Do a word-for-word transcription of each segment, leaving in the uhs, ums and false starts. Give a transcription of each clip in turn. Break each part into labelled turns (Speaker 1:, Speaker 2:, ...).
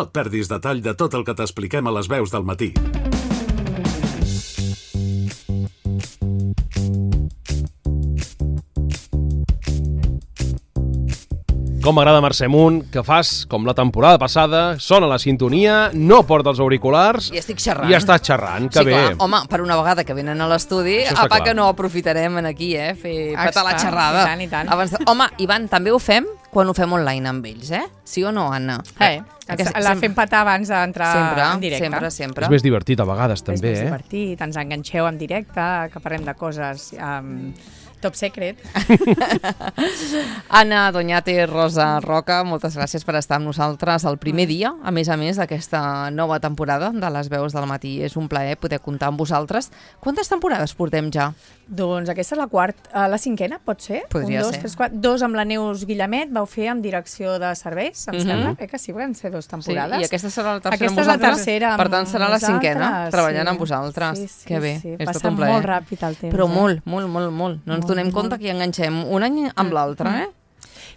Speaker 1: No et perdis detall de tot el que t'expliquem a les veus del matí.
Speaker 2: Com m'agrada Mercè Munt, que fas com la temporada passada, sona la sintonia, no porta els auriculars...
Speaker 3: I estic xerrant.
Speaker 2: I estàs xerrant, que
Speaker 3: sí,
Speaker 2: bé.
Speaker 3: Clar. Home, per una vegada que venen a l'estudi, apa que no aprofitarem en aquí, eh? Fer petar la xerrada.
Speaker 4: I tant, i tant.
Speaker 3: Abans de... Home, Ivan, també ho fem quan ho fem online amb ells, eh? Sí o no, Anna?
Speaker 4: Eh,
Speaker 3: Aquest...
Speaker 4: la fem petar abans d'entrar
Speaker 3: sempre,
Speaker 4: en directe.
Speaker 3: Sempre, sempre.
Speaker 2: És més divertit a vegades, també,
Speaker 4: és més
Speaker 2: eh?
Speaker 4: divertit, ens enganxeu en directe, que parlem de coses... Um, top secret.
Speaker 3: Anna Doñate, Rosa Roca, moltes gràcies per estar amb nosaltres el primer dia, a més a més, d'aquesta nova temporada de Les Veus del Matí. És un plaer poder comptar amb vosaltres. Quantes temporades portem ja?
Speaker 4: Doncs aquesta és la quarta, la cinquena, pot ser?
Speaker 3: Podria
Speaker 4: un, dos,
Speaker 3: ser.
Speaker 4: Tres, quatre, dos amb la Neus Guillemet, vau fer amb direcció de serveis, em
Speaker 3: Mhm.
Speaker 4: sembla, eh, que sí, van ser dues temporades.
Speaker 3: Sí, i aquesta serà la tercera
Speaker 4: Aquesta
Speaker 3: amb
Speaker 4: és la
Speaker 3: vosaltres.
Speaker 4: tercera amb
Speaker 3: Per tant, serà la cinquena,
Speaker 4: nosaltres,
Speaker 3: treballant
Speaker 4: sí.
Speaker 3: amb vosaltres.
Speaker 4: Sí, sí,
Speaker 3: que bé,
Speaker 4: sí.
Speaker 3: és
Speaker 4: Passa
Speaker 3: tot un plaer.
Speaker 4: molt ràpid el temps.
Speaker 3: Però
Speaker 4: eh?
Speaker 3: molt, molt, molt, molt. No ens
Speaker 4: Molt,
Speaker 3: donem
Speaker 4: molt.
Speaker 3: compte que hi enganxem un any amb l'altre, eh?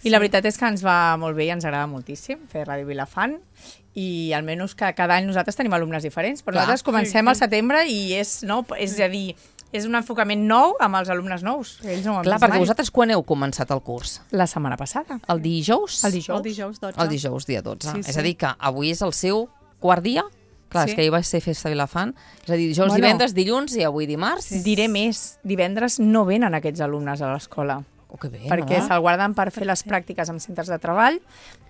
Speaker 4: I la veritat és que ens va molt bé i ens agrada moltíssim fer Ràdio Vilafant, i almenys que cada any nosaltres tenim alumnes diferents, però
Speaker 3: Clar.
Speaker 4: nosaltres comencem al setembre i és, no, és a dir, és un enfocament nou amb els alumnes nous. Ells no ho han
Speaker 3: Clar,
Speaker 4: vist
Speaker 3: perquè
Speaker 4: mai.
Speaker 3: vosaltres quan heu començat el curs?
Speaker 4: La setmana passada.
Speaker 3: El dijous?
Speaker 4: El dijous.
Speaker 5: El dijous dotze.
Speaker 3: El dijous, dia dotze.
Speaker 5: Sí,
Speaker 3: És
Speaker 5: sí.
Speaker 3: a dir, que avui és el seu quart dia? Clar,
Speaker 4: Sí.
Speaker 3: és que ahir va ser Festa Vilafant. És a dir, dijous,
Speaker 4: Bueno.
Speaker 3: divendres, dilluns i avui dimarts.
Speaker 4: Sí. Diré més, divendres no venen aquests alumnes a l'escola,
Speaker 3: Oh, que bé,
Speaker 4: perquè
Speaker 3: no?
Speaker 4: se'l guarden per fer les pràctiques en centres de treball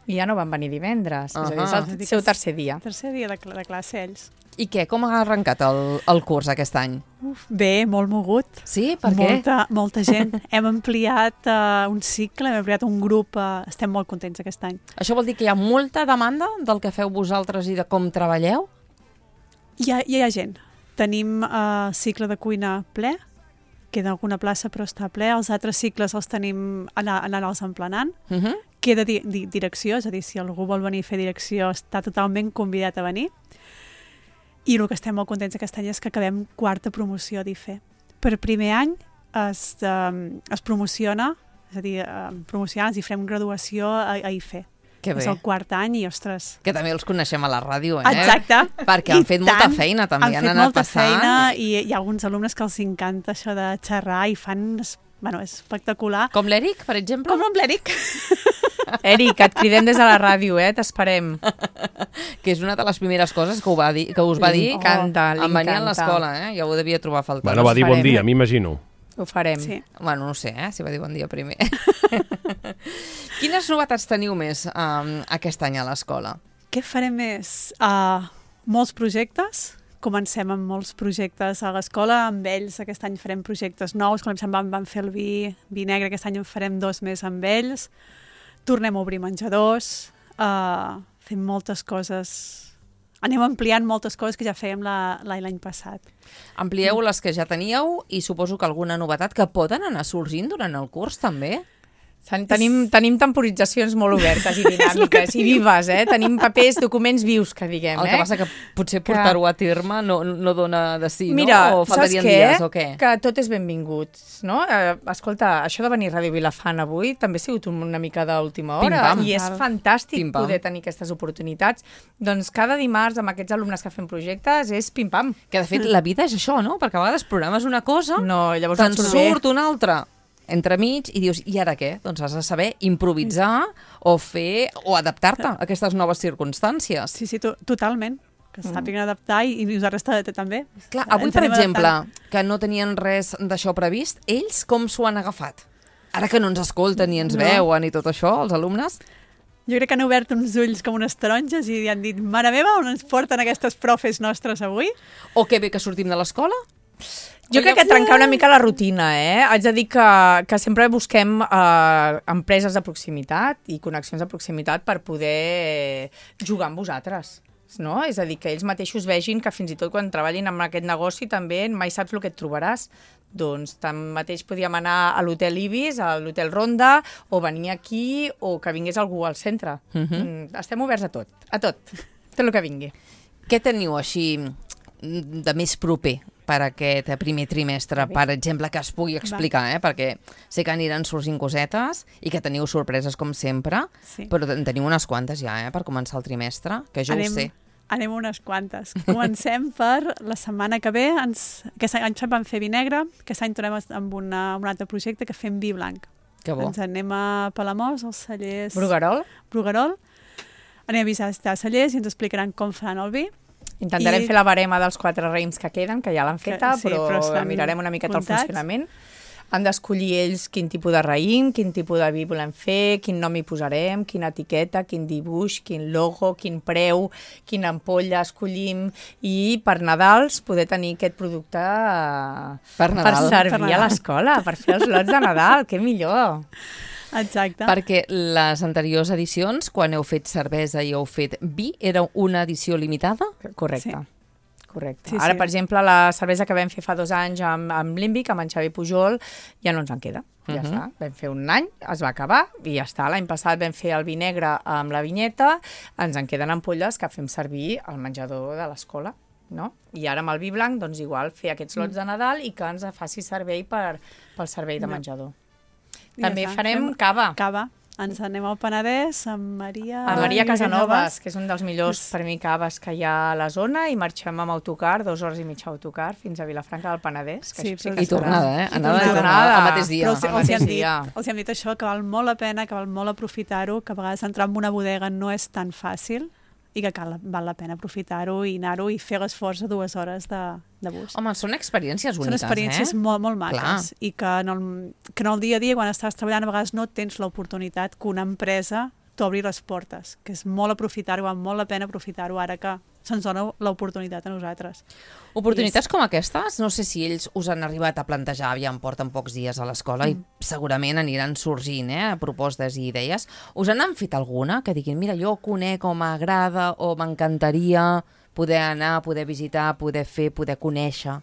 Speaker 4: i ja no van venir divendres. És a dir,
Speaker 3: Ahà.
Speaker 4: és el seu tercer dia.
Speaker 5: Tercer dia de, cl de classe, ells.
Speaker 3: I què? Com ha arrencat el, el curs aquest any?
Speaker 5: Uf, bé, molt mogut.
Speaker 3: Sí? Per què?
Speaker 5: molta, Molta gent. Hem ampliat uh, un cicle, hem ampliat un grup. Uh, estem molt contents aquest any.
Speaker 3: Això vol dir que hi ha molta demanda del que feu vosaltres i de com treballeu?
Speaker 5: Hi ha, hi ha gent. Tenim uh, cicle de cuina ple, queda alguna plaça però està ple. Els altres cicles els tenim anar, anant-los emplenant.
Speaker 3: Uh -huh.
Speaker 5: Queda di di direcció, és a dir, si algú vol venir a fer direcció està totalment convidat a venir. I el que estem molt contents aquest any és que acabem quarta promoció d'I F E. Per primer any es, um, es promociona, és a dir, um, promocionant i farem graduació a, a I F E.
Speaker 3: Que bé.
Speaker 5: És el quart any i, ostres...
Speaker 3: Que també els coneixem a la ràdio, eh?
Speaker 5: Exacte.
Speaker 3: Perquè
Speaker 5: I
Speaker 3: han fet molta
Speaker 5: tant.
Speaker 3: feina, també.
Speaker 5: Han
Speaker 3: Han
Speaker 5: fet
Speaker 3: anat
Speaker 5: molta
Speaker 3: passant.
Speaker 5: feina i hi ha alguns alumnes que els encanta això de xerrar i fan... Bueno, és espectacular.
Speaker 3: Com l'Eric, per exemple?
Speaker 5: Com amb l'Eric.
Speaker 4: Eric, et cridem des de la ràdio, eh? T'esperem.
Speaker 3: Que és una de les primeres coses que, ho va dir, que us va dir
Speaker 4: L'encanta,
Speaker 3: en venir a
Speaker 4: l'encanta.
Speaker 3: l'escola, eh? Ja ho devia trobar a faltar.
Speaker 2: Bueno, va dir bon
Speaker 4: farem.
Speaker 2: dia, m'imagino.
Speaker 4: Ho farem.
Speaker 5: Sí.
Speaker 3: Bueno, no sé, eh? Si va dir bon dia primer. Quines novetats teniu més um, aquest any a l'escola?
Speaker 5: Què farem més? Uh, molts projectes. Comencem amb molts projectes a l'escola. Amb ells aquest any farem projectes nous. Com vam, vam fer el vi, vi negre, aquest any en farem dos més amb ells. Tornem a obrir menjadors. Uh, fem moltes coses... Anem ampliant moltes coses que ja fèiem l'any passat.
Speaker 3: Amplieu les que ja teníeu i suposo que alguna novetat que poden anar sorgint durant el curs, també?
Speaker 4: Tenim, tenim temporitzacions molt obertes i dinàmiques i vives, eh? Tenim papers, documents vius, que diguem,
Speaker 3: El que
Speaker 4: eh?
Speaker 3: passa que potser portar-ho a terme no, no dona de sí,
Speaker 4: Mira,
Speaker 3: no? O
Speaker 4: saps
Speaker 3: faltarien
Speaker 4: què?
Speaker 3: dies, o què?
Speaker 4: Que tot és benvingut, no? Eh, escolta, això de venir a Ràdio Vilafant avui també ha sigut una mica d'última hora
Speaker 3: Pim-pam.
Speaker 4: i és fantàstic
Speaker 3: Pim-pam.
Speaker 4: poder tenir aquestes oportunitats. Doncs cada dimarts amb aquests alumnes que fem projectes és pim-pam.
Speaker 3: Que de fet la vida és això, no? Perquè a vegades programes una cosa,
Speaker 4: No, llavors
Speaker 3: te'n
Speaker 4: et surt bé.
Speaker 3: surt una altra entremig i dius, i ara què? Doncs has de saber improvisar o fer o adaptar-te a aquestes noves circumstàncies.
Speaker 5: Sí, sí, to totalment. Que sàpiguen adaptar i, i nosaltres també.
Speaker 3: Clar, avui,
Speaker 5: Ens
Speaker 3: per
Speaker 5: anem
Speaker 3: exemple,
Speaker 5: adaptant.
Speaker 3: que no tenien res d'això previst, ells com s'ho han agafat? Ara que no ens escolten ni ens
Speaker 5: No.
Speaker 3: veuen i tot això, els alumnes?
Speaker 5: Jo crec que han obert uns ulls com unes taronges i han dit, mare meva, on ens porten aquestes profes nostres avui?
Speaker 3: O que bé que sortim de l'escola?
Speaker 4: Jo crec que trencar una mica la rutina, eh? Haig de dir que, que sempre busquem eh, empreses de proximitat i connexions de proximitat per poder jugar amb vosaltres, no? És a dir, que ells mateixos vegin que fins i tot quan treballin en aquest negoci també mai saps el que et trobaràs. Doncs tanmateix podíem anar a l'hotel Ibis, a l'hotel Ronda, o venir aquí, o que vingués algú al centre.
Speaker 3: Mhm.
Speaker 4: Mm, estem oberts a tot, a tot, tot el que vingui.
Speaker 3: Què teniu així de més proper per aquest primer trimestre, per exemple, que es pugui explicar, eh? Perquè sé que aniran sorgint cosetes i que teniu sorpreses com sempre,
Speaker 5: Sí.
Speaker 3: però en teniu unes quantes ja, eh? Per començar el trimestre, que jo
Speaker 5: anem,
Speaker 3: ho sé.
Speaker 5: Anem unes quantes. Comencem per la setmana que ve. Ens, aquest any vam fer vi negre, aquest any tornem amb, una, amb un altre projecte que fem vi blanc.
Speaker 3: Que bo.
Speaker 5: Ens anem a Palamós, als cellers...
Speaker 4: Bruguerol?
Speaker 5: Bruguerol. Anem a visitar cellers i ens explicaran com fan el vi.
Speaker 4: Intentarem
Speaker 5: I-
Speaker 4: fer la barema dels quatre raïms que queden, que ja l'han
Speaker 5: Que-
Speaker 4: feta,
Speaker 5: sí,
Speaker 4: però,
Speaker 5: però estan
Speaker 4: mirarem una miqueta el
Speaker 5: comptats.
Speaker 4: funcionament. Han d'escollir ells quin tipus de raïm, quin tipus de vi volem fer, quin nom hi posarem, quina etiqueta, quin dibuix, quin logo, quin preu, quina ampolla escollim, i per Nadals poder tenir aquest producte eh,
Speaker 3: Per
Speaker 4: per
Speaker 3: Nadal.
Speaker 4: servir
Speaker 5: Per
Speaker 4: a
Speaker 5: Nadal.
Speaker 4: l'escola, per fer els lots de Nadal, que millor.
Speaker 5: Exacte.
Speaker 3: Perquè les anteriors edicions, quan heu fet cervesa i heu fet vi, era una edició limitada?
Speaker 4: Correcte.
Speaker 5: Sí.
Speaker 4: Correcte.
Speaker 5: Sí,
Speaker 4: Ara,
Speaker 5: sí.
Speaker 4: per exemple, la cervesa que vam fer fa dos anys amb, amb Limbic, amb en Xavi Pujol, ja no ens en queda. Ja
Speaker 3: Mhm.
Speaker 4: està. Vam fer un any, es va acabar i ja està. L'any passat vam fer el vi negre amb la vinyeta, ens en queden ampolles que fem servir al menjador de l'escola. No? I ara amb el vi blanc, doncs igual, fer aquests lots de Nadal i que ens faci servei per, pel servei de
Speaker 5: No.
Speaker 4: menjador.
Speaker 5: Ja
Speaker 4: També
Speaker 5: està.
Speaker 4: farem
Speaker 5: Fem
Speaker 4: cava.
Speaker 5: Cava. Ens anem al Penedès amb Maria...
Speaker 4: A Maria
Speaker 5: i
Speaker 4: Casanovas, que és un dels millors,
Speaker 5: És-
Speaker 4: per mi, caves que hi ha a la zona, i marxem amb autocar, dues hores i mitja autocar, fins a Vilafranca del Penedès. Que
Speaker 5: Sí,
Speaker 4: això sí
Speaker 5: però
Speaker 4: que
Speaker 3: I
Speaker 5: I
Speaker 3: tornada, eh?
Speaker 5: I
Speaker 3: Anada i
Speaker 4: tornada.
Speaker 3: tornada al mateix dia.
Speaker 5: Però els,
Speaker 4: Al
Speaker 5: els, hi hem
Speaker 4: mateix
Speaker 5: dit,
Speaker 4: dia.
Speaker 5: els hi hem dit això, que val molt la pena, que val molt aprofitar-ho, que a vegades entrar en una bodega no és tan fàcil i que cal, val la pena aprofitar-ho i anar-ho i fer l'esforç de dues hores de, de bus.
Speaker 3: Home, són experiències
Speaker 5: Són
Speaker 3: úniques,
Speaker 5: experiències
Speaker 3: eh?
Speaker 5: molt, molt maques
Speaker 3: Clar.
Speaker 5: i que en, el, que en el dia a dia, quan estàs treballant, a vegades no tens l'oportunitat que una empresa t'obri les portes, que és molt aprofitar-ho, val molt la pena aprofitar-ho ara que se'ns dona l'oportunitat a nosaltres.
Speaker 3: Oportunitats com aquestes, no sé si ells us han arribat a plantejar, aviam, porten pocs dies a l'escola i segurament aniran sorgint, eh, propostes i idees. Us han fet alguna que diguin, mira, jo conec o m'agrada o m'encantaria poder anar, poder visitar, poder fer, poder conèixer?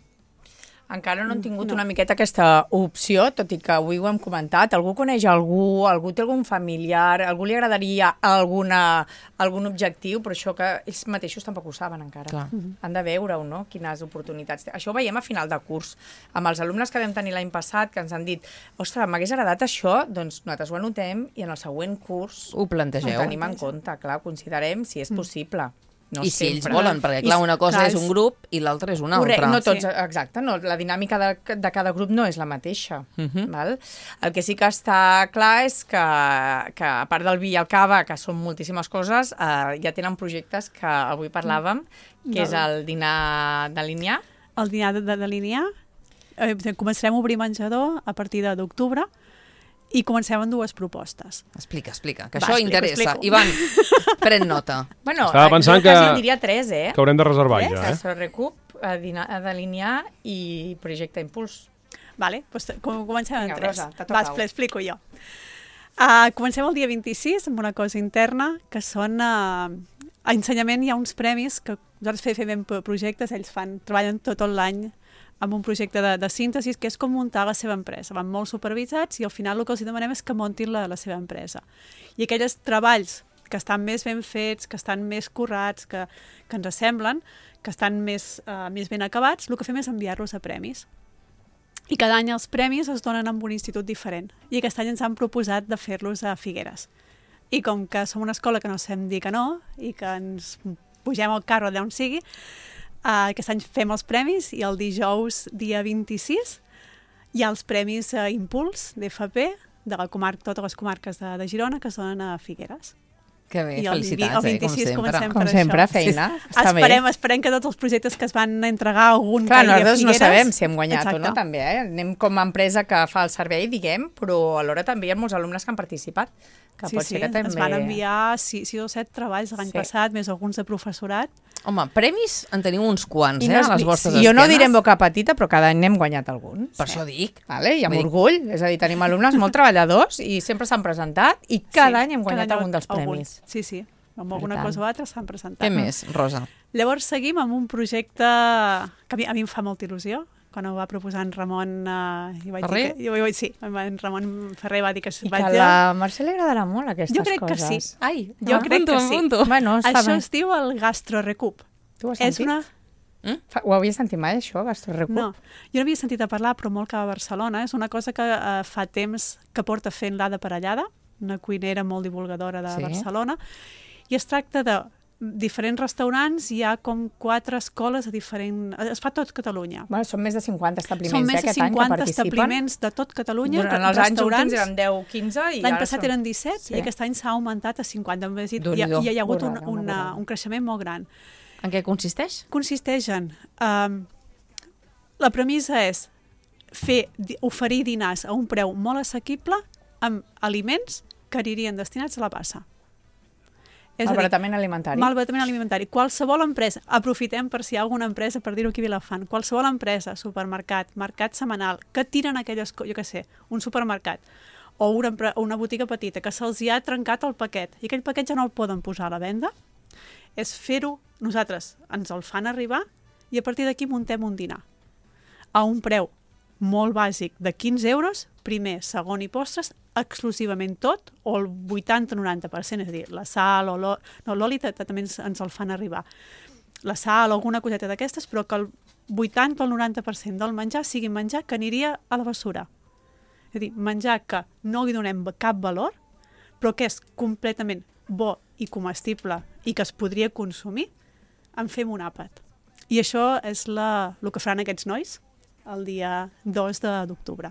Speaker 4: Encara no hem tingut
Speaker 5: No.
Speaker 4: una miqueta aquesta opció, tot i que avui ho hem comentat. Algú coneix algú, algú té algun familiar, algú li agradaria alguna, algun objectiu, però això que ells mateixos tampoc ho saben encara.
Speaker 3: Clar.
Speaker 4: Han de veure-ho, no?, quines oportunitats té. Això ho veiem a final de curs. Amb els alumnes que vam tenir l'any passat, que ens han dit, ostres, m'hagués agradat això, doncs nosaltres ho anotem i en el següent curs
Speaker 3: Ho
Speaker 4: ho
Speaker 3: plantegeu?
Speaker 4: tenim en compte, clar, considerem si és possible. No
Speaker 3: I si ells
Speaker 4: sempre.
Speaker 3: volen, perquè clar,
Speaker 4: I-
Speaker 3: una cosa
Speaker 4: clar,
Speaker 3: és un grup i l'altra és una
Speaker 4: Correcte,
Speaker 3: altra.
Speaker 4: no tots,
Speaker 5: Sí.
Speaker 4: exacte, no, la dinàmica de, de cada grup no és la mateixa.
Speaker 3: Mhm.
Speaker 4: Val? El que sí que està clar és que, que a part del vi i el cava, que són moltíssimes coses, eh, ja tenen projectes que avui parlàvem, que és el dinar de Linyà.
Speaker 5: El dinar de, de, de línia, eh, començarem a obrir menjador a partir de- d'octubre i comencem amb dues propostes.
Speaker 3: Explica, explica, que
Speaker 5: Va,
Speaker 3: això
Speaker 5: explico,
Speaker 3: interessa.
Speaker 5: explico.
Speaker 3: Ivan, pren nota.
Speaker 4: Bueno,
Speaker 2: Estava pensant
Speaker 4: jo quasi
Speaker 2: que-
Speaker 4: en diria tres, eh?
Speaker 2: Que haurem de reservar
Speaker 4: Tres,
Speaker 2: ja, eh?
Speaker 4: el Recup, eh, dinar de Linyà i Projecte Impuls.
Speaker 5: Vale? Pues, com, comencem
Speaker 4: Vinga,
Speaker 5: amb tres.
Speaker 4: Rosa, t'ha
Speaker 5: Va,
Speaker 4: tocat.
Speaker 5: l'explico jo. Uh, comencem el dia vint-i-sis amb una cosa interna, que són... Uh, a ensenyament hi ha uns premis que nosaltres fem projectes, ells fan, treballen tot l'any amb un projecte de, de síntesi, que és com muntar la seva empresa. Van molt supervisats i al final el que els demanem és que muntin la, la seva empresa. I aquells treballs que estan més ben fets, que estan més currats, que, que ens assemblen, que estan més, uh, més ben acabats, el que fem és enviar-los a premis. I cada any els premis es donen amb un institut diferent. I aquest any ens han proposat de fer-los a Figueres. I com que som una escola que no sabem dir que no, i que ens pugem al carro allà on sigui, uh, aquest any fem els premis i el dijous, dia vint-i-sis, hi ha els premis uh, Impuls, d'F P, de la comarca, totes les comarques de, de Girona, que es donen a Figueres.
Speaker 3: Que bé,
Speaker 5: I el,
Speaker 3: felicitats,
Speaker 5: el
Speaker 3: eh, com
Speaker 5: vint-i-sis
Speaker 3: sempre.
Speaker 5: comencem
Speaker 4: Com
Speaker 5: per
Speaker 4: sempre,
Speaker 5: això.
Speaker 4: feina. Està bé.
Speaker 5: Esperem, esperem que tots els projectes que es van entregar algun
Speaker 4: Clar,
Speaker 5: caigui a
Speaker 4: nosaltres no
Speaker 5: Figueres.
Speaker 4: sabem si hem guanyat
Speaker 5: Exacte.
Speaker 4: o no, també, eh? Anem com a empresa que fa el servei, diguem, però alhora també hi ha molts alumnes que han participat, que
Speaker 5: Sí,
Speaker 4: pot
Speaker 5: sí,
Speaker 4: ser que també...
Speaker 5: ens van enviar sis, sis o set treballs l'any
Speaker 4: Sí.
Speaker 5: passat, més alguns de professorat.
Speaker 3: Home, premis en teniu uns quants,
Speaker 4: I
Speaker 3: eh,
Speaker 4: no
Speaker 3: a
Speaker 4: es-
Speaker 3: les vostres
Speaker 4: jo no
Speaker 3: esquenes.
Speaker 4: diré en boca petita, però cada any n'hem guanyat algun.
Speaker 3: Per això dic.
Speaker 4: Vale? I amb
Speaker 3: Vull dir-
Speaker 4: orgull, és a dir, tenim alumnes molt treballadors i sempre s'han presentat i cada
Speaker 5: Sí,
Speaker 4: any hem guanyat
Speaker 5: cada any
Speaker 4: algun dels
Speaker 5: algun.
Speaker 4: premis.
Speaker 5: Sí, sí, amb alguna
Speaker 4: tant.
Speaker 5: cosa o altra s'han presentat.
Speaker 3: Què més, Rosa?
Speaker 5: Llavors seguim amb un projecte que a mi, a mi em fa molta il·lusió. Quan ho va proposar en Ramon... Uh, jo vaig
Speaker 3: Ferrer?
Speaker 5: dir que, jo, jo, sí, en Ramon Ferrer va dir que...
Speaker 4: I
Speaker 5: vaig
Speaker 4: que
Speaker 5: dir,
Speaker 4: a la Mercè li agradarà molt aquestes
Speaker 5: Jo crec que
Speaker 4: coses.
Speaker 5: sí.
Speaker 3: Ai,
Speaker 5: Jo crec que sí.
Speaker 3: M'apunto.
Speaker 4: Bueno, està
Speaker 5: Això
Speaker 4: bé.
Speaker 5: es diu el gastrorecup.
Speaker 4: Tu ho has
Speaker 5: És
Speaker 4: sentit?
Speaker 5: una...
Speaker 3: Mm?
Speaker 4: Fa- Ho havia sentit mai, això, Gastrorecup?
Speaker 5: No, jo n'havia sentit a parlar, però molt que a Barcelona. És una cosa que uh, fa temps que porta fent l'Ada Parellada, una cuinera molt divulgadora de
Speaker 3: Sí.
Speaker 5: Barcelona, i es tracta de diferents restaurants, hi ha com quatre escoles a diferents... Es fa tot Catalunya.
Speaker 4: Bueno, són més de cinquanta establiments
Speaker 5: Són més
Speaker 4: eh,
Speaker 5: de
Speaker 4: aquest any que
Speaker 5: cinquanta
Speaker 4: participen.
Speaker 5: establiments de tot Catalunya.
Speaker 4: Durant els anys últims eren deu o quinze i
Speaker 5: L'any
Speaker 4: ara
Speaker 5: passat
Speaker 4: són...
Speaker 5: eren disset
Speaker 4: Sí.
Speaker 5: i aquest any s'ha augmentat a cinquanta. Hi ha, hi
Speaker 3: Déu-n'hi-do.
Speaker 5: ha, hi ha hagut un,
Speaker 4: Borrada, una
Speaker 5: una,
Speaker 4: borrada.
Speaker 5: un creixement molt gran.
Speaker 3: En què consisteix?
Speaker 5: Consisteix en... Um, la premissa és fer, di- oferir dinars a un preu molt assequible amb aliments que anirien destinats a la passa. És a dir,
Speaker 4: Malbaratament alimentari.
Speaker 5: malbaratament alimentari. Qualsevol empresa, aprofitem per si hi ha alguna empresa, per dir-ho aquí a Vilafant, qualsevol empresa, supermercat, mercat setmanal, que tiren aquelles, co- jo què sé, un supermercat, o una, empre- una botiga petita, que se'ls hi ha trencat el paquet, i aquell paquet ja no el poden posar a la venda, és fer-ho, nosaltres ens el fan arribar, i a partir d'aquí muntem un dinar. A un preu molt bàsic de quinze euros, primer, segon i postres, exclusivament tot, o el vuitanta noranta per cent, és a dir, la sal o l'oli, no, l'oli ta- ta- també ens, ens el fan arribar. La sal o alguna coseta d'aquestes, però que el vuitanta o el noranta per cent del menjar sigui menjar que aniria a la bessura. És a dir, menjar que no li donem cap valor, però que és completament bo i comestible i que es podria consumir, en fem un àpat. I això és la, el que faran aquests nois el dia dos d'octubre.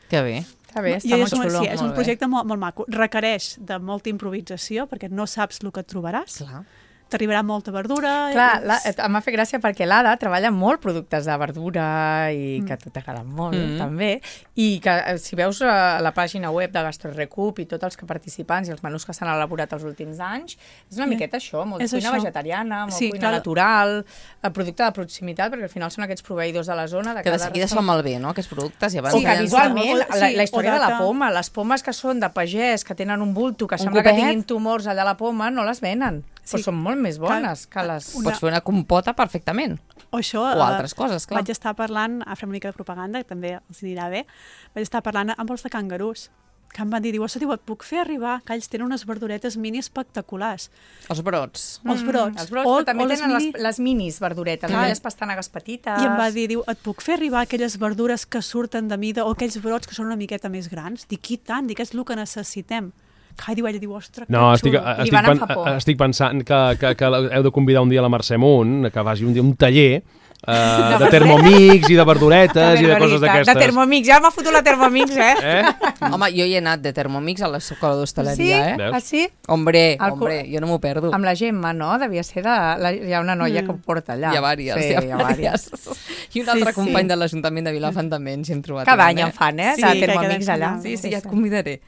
Speaker 3: Que bé.
Speaker 4: Està bé,
Speaker 5: I
Speaker 4: està molt
Speaker 5: és un,
Speaker 4: xulo.
Speaker 5: sí, és
Speaker 3: Molt
Speaker 5: un
Speaker 3: bé.
Speaker 5: projecte molt, molt maco. Requereix de molta improvisació, perquè no saps el que et trobaràs.
Speaker 3: Clar.
Speaker 5: T'arribarà molta verdura.
Speaker 4: Clar,
Speaker 5: és-
Speaker 4: la, et- m'ha fet gràcia perquè l'Ada treballa molt productes de verdura i que a tu t'agraden molt,
Speaker 3: Mm.
Speaker 4: també. I que eh, si veus a la pàgina web de Gastrorecup i tots els que participants i els menús que s'han elaborat els últims anys, és una
Speaker 5: Sí.
Speaker 4: miqueta això, molt
Speaker 5: És
Speaker 4: cuina
Speaker 5: això.
Speaker 4: vegetariana, molt
Speaker 5: Sí,
Speaker 4: cuina
Speaker 5: clar.
Speaker 4: natural, eh, producte de proximitat, perquè al final són aquests proveïdors de la zona. De
Speaker 3: Que de
Speaker 4: cada
Speaker 3: seguida es fa
Speaker 4: restaurant.
Speaker 3: malbé, no?, aquests productes. I abans
Speaker 4: O
Speaker 5: Sí,
Speaker 4: que
Speaker 3: ja ens-
Speaker 4: visualment,
Speaker 5: o-
Speaker 4: la,
Speaker 5: sí,
Speaker 4: la història
Speaker 5: o
Speaker 4: de la
Speaker 5: data.
Speaker 4: poma, les pomes que són de pagès, que tenen un bulto, que
Speaker 3: Un
Speaker 4: sembla que
Speaker 3: copet.
Speaker 4: tinguin tumors allà a la poma, no les venen. Però
Speaker 5: Sí.
Speaker 4: són molt més bones que les...
Speaker 5: Una-
Speaker 3: Pots fer una compota perfectament.
Speaker 5: O això...
Speaker 3: O
Speaker 5: eh,
Speaker 3: altres coses, clar.
Speaker 5: Vaig estar parlant, a fer una mica de propaganda, que també els anirà bé, vaig estar parlant amb els de cangarús, que em van dir, diu, això, diu, et puc fer arribar, que ells tenen unes verduretes mini espectaculars.
Speaker 3: Els brots.
Speaker 5: Els brots.
Speaker 4: Els brots,
Speaker 5: O-
Speaker 4: però també
Speaker 5: o les
Speaker 4: tenen
Speaker 5: mini-
Speaker 4: les, les minis verduretes,
Speaker 5: Clar.
Speaker 4: aquelles pastanagues petites.
Speaker 5: I em va dir, diu, et puc fer arribar aquelles verdures que surten de mida o aquells brots que són una miqueta més grans? Dic, i tant, dic, és el que necessitem. Clar, diu, ella diu, ostres,
Speaker 2: No,
Speaker 5: que
Speaker 2: estic,
Speaker 5: xulo.
Speaker 4: Li
Speaker 2: estic,
Speaker 4: van
Speaker 2: pen,
Speaker 4: agafar por.
Speaker 2: estic pensant que, que, que heu de convidar un dia la Mercè Munt, que faci un dia un taller uh, de Thermomix i de verduretes i de coses d'aquestes.
Speaker 4: De Thermomix, ja m'ha fotut la Thermomix, eh?
Speaker 2: Eh?
Speaker 3: Home, jo hi he anat de Thermomix a l'escola
Speaker 4: Sí?
Speaker 3: d'hostaleria, eh?
Speaker 2: Veus?
Speaker 4: Ah, sí?
Speaker 3: Hombre,
Speaker 4: El
Speaker 3: hombre, jo no m'ho perdo.
Speaker 4: Amb la Gemma, no? Devia ser de... La... Hi ha una noia que ho porta allà.
Speaker 3: Hi ha vàries,
Speaker 4: sí,
Speaker 3: hi ha
Speaker 4: hi ha vàries.
Speaker 3: vàries. I un altre
Speaker 4: Sí,
Speaker 3: company
Speaker 4: sí.
Speaker 3: de l'Ajuntament de Vilafant també ens hi hem trobat.
Speaker 4: Cada
Speaker 3: un,
Speaker 4: any en fan, eh?
Speaker 5: Sí,
Speaker 4: de
Speaker 5: que
Speaker 4: Thermomix
Speaker 5: quedem
Speaker 4: allà.
Speaker 5: fent
Speaker 3: Sí, sí, ja et convidaré.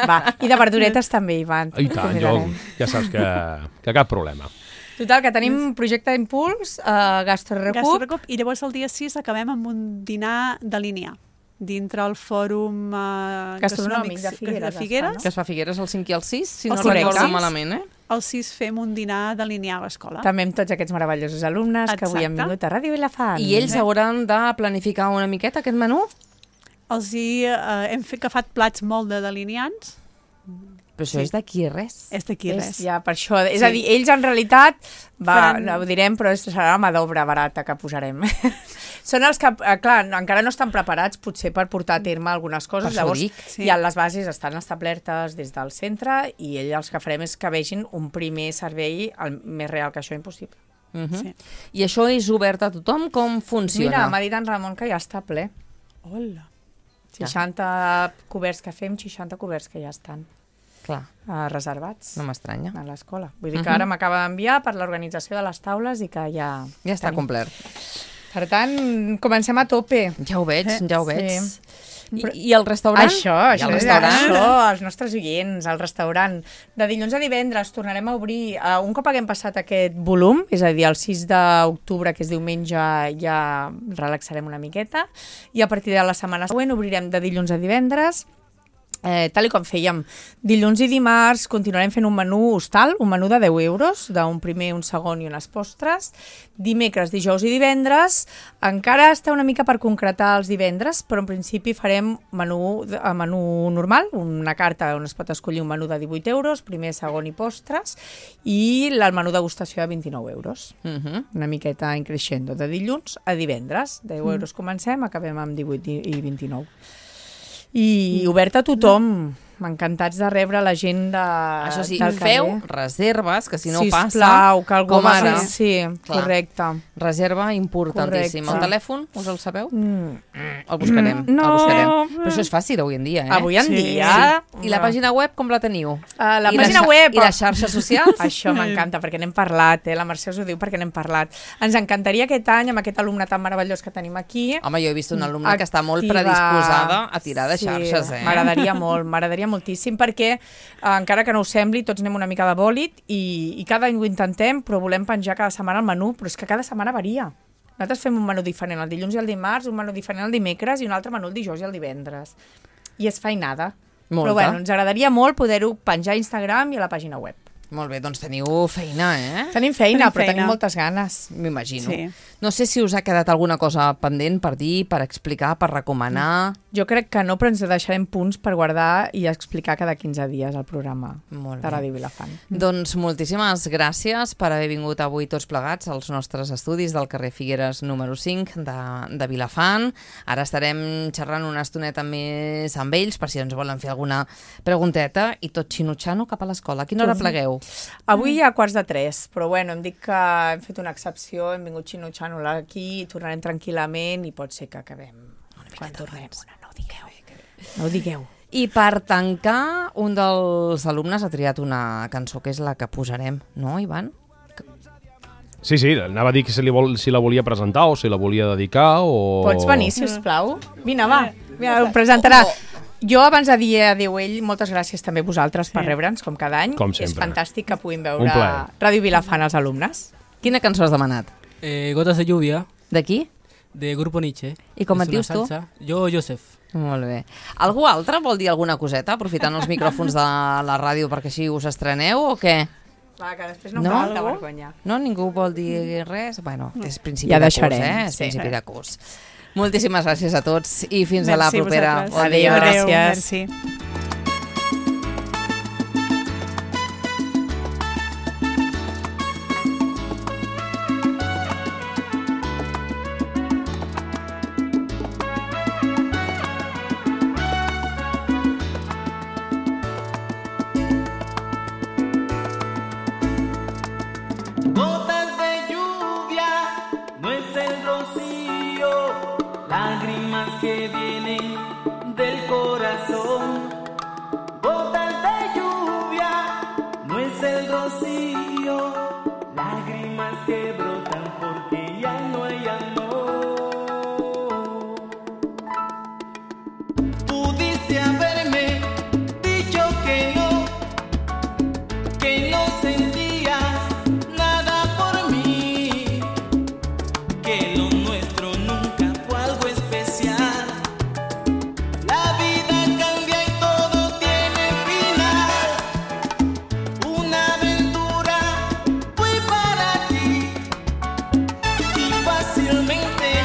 Speaker 4: Va, i de verduretes també hi van.
Speaker 2: I tant, jo ja saps que, que cap problema.
Speaker 4: Total, que tenim un projecte d'impuls, uh, Gastrorecup.
Speaker 5: Gastrorecup, i llavors el dia sis acabem amb un dinar de línia dintre el fòrum uh,
Speaker 4: Gastronòmic de Figueres,
Speaker 5: de Figueres.
Speaker 4: es
Speaker 3: Que es fa Figueres el cinc i el sis, si
Speaker 5: El
Speaker 3: no
Speaker 5: cinc i el
Speaker 3: recordo
Speaker 5: sis.
Speaker 3: malament, eh?
Speaker 5: El sis fem un dinar de línia a l'escola.
Speaker 4: També amb tots aquests meravellosos alumnes que avui han
Speaker 5: Exacte.
Speaker 4: vingut a Ràdio Vilafant.
Speaker 3: I ells hauran de planificar una miqueta aquest menú?
Speaker 5: Els hi, uh, hem fet, agafat plats molt de delineants.
Speaker 3: Però això és d'aquí res.
Speaker 5: És d'aquí
Speaker 4: És,
Speaker 5: res.
Speaker 4: ja, per això. És
Speaker 5: Sí.
Speaker 4: a dir, ells en realitat, va,
Speaker 5: Faran-
Speaker 4: no ho direm, però és, serà la mà d'obra barata que posarem. Són els que, eh, clar, no, encara no estan preparats potser per portar a terme algunes coses.
Speaker 3: Per això ho
Speaker 4: Llavors,
Speaker 3: dic.
Speaker 5: Sí.
Speaker 4: ja les bases estan establertes des del centre i ell els que farem és que vegin un primer servei el més real que això impossible.
Speaker 3: Uh -huh.
Speaker 5: Sí.
Speaker 3: I això és obert a tothom? Com funciona?
Speaker 4: Mira, m'ha dit en Ramon que ja està ple.
Speaker 5: Hola.
Speaker 4: seixanta coberts que fem, seixanta coberts que ja estan
Speaker 3: Clar,
Speaker 4: eh, reservats
Speaker 3: no m'estranya.
Speaker 4: a l'escola. Vull dir que
Speaker 3: Mhm.
Speaker 4: ara m'acaba d'enviar per l'organització de les taules i que ja...
Speaker 3: Ja està
Speaker 4: tenim.
Speaker 3: complert.
Speaker 4: Per tant, comencem a tope.
Speaker 3: Ja ho veig, ja ho veig.
Speaker 4: Sí.
Speaker 3: I, I el restaurant?
Speaker 4: Això,
Speaker 3: I
Speaker 4: això,
Speaker 3: el
Speaker 4: és
Speaker 3: restaurant?
Speaker 4: això, els nostres oients, el restaurant. De dilluns a divendres tornarem a obrir, uh, un cop haguem passat aquest volum, és a dir, el sis d'octubre, que és diumenge, ja relaxarem una miqueta, i a partir de la setmana següent obrirem de dilluns a divendres, Eh, tal i com fèiem dilluns i dimarts, continuarem fent un menú hostal, un menú de deu euros, d'un primer, un segon i unes postres. Dimecres, dijous i divendres. Encara està una mica per concretar els divendres, però en principi farem menú, eh, menú normal, una carta on es pot escollir un menú de divuit euros, primer, segon i postres, i el menú degustació de vint-i-nou euros.
Speaker 3: Uh-huh.
Speaker 4: Una miqueta increixendo, de dilluns a divendres. deu mm. euros comencem, acabem amb divuit i, i vint-i-nou. I obert a tothom, encantats de rebre la gent de,
Speaker 3: Això sí,
Speaker 4: del
Speaker 3: feu
Speaker 4: carrer.
Speaker 3: reserves, que si no
Speaker 4: Sisplau,
Speaker 3: passa...
Speaker 4: que algú
Speaker 3: com
Speaker 4: m'ha-
Speaker 3: ara.
Speaker 4: Sí,
Speaker 3: Clar.
Speaker 4: correcte.
Speaker 3: Reserva importantíssim.
Speaker 4: Correcte.
Speaker 3: El telèfon, us el sabeu?
Speaker 4: Mm.
Speaker 3: El buscarem,
Speaker 4: Mm, no.
Speaker 3: el buscarem. Però això és fàcil avui en dia, eh?
Speaker 4: Avui en
Speaker 5: Sí.
Speaker 4: dia...
Speaker 3: I la pàgina web com la teniu?
Speaker 4: Uh, la
Speaker 3: I
Speaker 4: pàgina
Speaker 3: xa-
Speaker 4: web...
Speaker 3: I les xarxes socials?
Speaker 4: Això m'encanta, perquè n'hem parlat, eh? La Mercè us ho diu perquè n'hem parlat. Ens encantaria aquest any, amb aquest alumne tan meravellós que tenim aquí...
Speaker 3: Home, jo he vist un alumne que està molt
Speaker 4: activar-
Speaker 3: predisposada a tirar de
Speaker 4: Sí,
Speaker 3: xarxes, eh?
Speaker 4: M'agradaria molt, m'agradaria moltíssim, perquè eh, encara que no ho sembli, tots anem una mica de bòlit i, i cada any ho intentem, però volem penjar cada setmana el menú, però és que cada setmana varia. Nosaltres fem un menú diferent el dilluns i el dimarts, un menú diferent el dimecres i un altre menú el dijous i el divendres. I és feinada.
Speaker 3: Molta.
Speaker 4: Però bueno, ens agradaria molt poder-ho penjar a Instagram i a la pàgina web.
Speaker 3: Molt bé, doncs teniu feina, eh?
Speaker 4: Tenim feina,
Speaker 5: Tenim
Speaker 4: però
Speaker 5: feina.
Speaker 4: tenim moltes ganes.
Speaker 3: M'imagino.
Speaker 5: Sí.
Speaker 3: No sé si us ha quedat alguna cosa pendent per dir, per explicar, per recomanar...
Speaker 4: Jo crec que no, però ens deixarem punts per guardar i explicar cada quinze dies el programa
Speaker 3: Molt
Speaker 4: de
Speaker 3: bé.
Speaker 4: Ràdio Vilafant.
Speaker 3: Doncs moltíssimes gràcies per haver vingut avui tots plegats als nostres estudis del carrer Figueres número cinc de, de Vilafant. Ara estarem xerrant una estoneta més amb ells per si ens volen fer alguna pregunteta i tot xinutxano cap a l'escola. A quina hora plegueu?
Speaker 4: Avui hi ha quarts de tres, però bueno, hem dit que hem fet una excepció, hem vingut xinutxant aquí, tornarem tranquil·lament i pot ser que acabem quan tornem. No ho digueu. No ho digueu.
Speaker 3: I per tancar, un dels alumnes ha triat una cançó que és la que posarem, no, Ivan?
Speaker 2: Sí, sí, anava a dir que si, li vol, si la volia presentar o si la volia dedicar o...
Speaker 4: Pots venir, sisplau? Vine, va. Vine, ho presentarà. Jo, abans de dir adéu ell, moltes gràcies també a vosaltres per rebre'ns, com cada any.
Speaker 2: Com sempre.
Speaker 4: És fantàstic que puguin
Speaker 2: Un
Speaker 4: veure
Speaker 2: plaer.
Speaker 4: Ràdio Vilafant als alumnes.
Speaker 3: Quina cançó has demanat?
Speaker 6: Eh, Gotas de lluvia,
Speaker 3: De qui?
Speaker 6: de Grupo Nietzsche.
Speaker 3: I com
Speaker 6: Es
Speaker 3: et
Speaker 6: una
Speaker 3: dius tu?
Speaker 6: salsa. Jo, Joseph.
Speaker 3: Molt bé. Algú altre vol dir alguna coseta, aprofitant els micròfons de la ràdio perquè així us estreneu o què?
Speaker 4: Va, que després no,
Speaker 3: No?
Speaker 4: fa molta vergonya.
Speaker 3: No? Ningú vol dir res? Bueno, és principi
Speaker 4: Ja
Speaker 3: de curs,
Speaker 4: deixarem,
Speaker 3: eh? És
Speaker 4: sí.
Speaker 3: principi de curs. Moltíssimes gràcies a tots i fins a la
Speaker 5: Merci,
Speaker 3: propera.
Speaker 5: vosaltres.
Speaker 3: Bon
Speaker 4: Adéu,
Speaker 3: dia.
Speaker 4: gràcies.
Speaker 5: Merci.
Speaker 7: Gotas de lluvia, no es el rocío, lágrimas que vienen del corazón. Gotas de lluvia, no es el rocío, lágrimas que brotan porque ya no hay amor. Pudiste haberme dicho que no, que no sentías nada por mí, que lo nuestro nunca fue algo especial. La vida cambia y todo tiene final. Una aventura fui para ti y fácilmente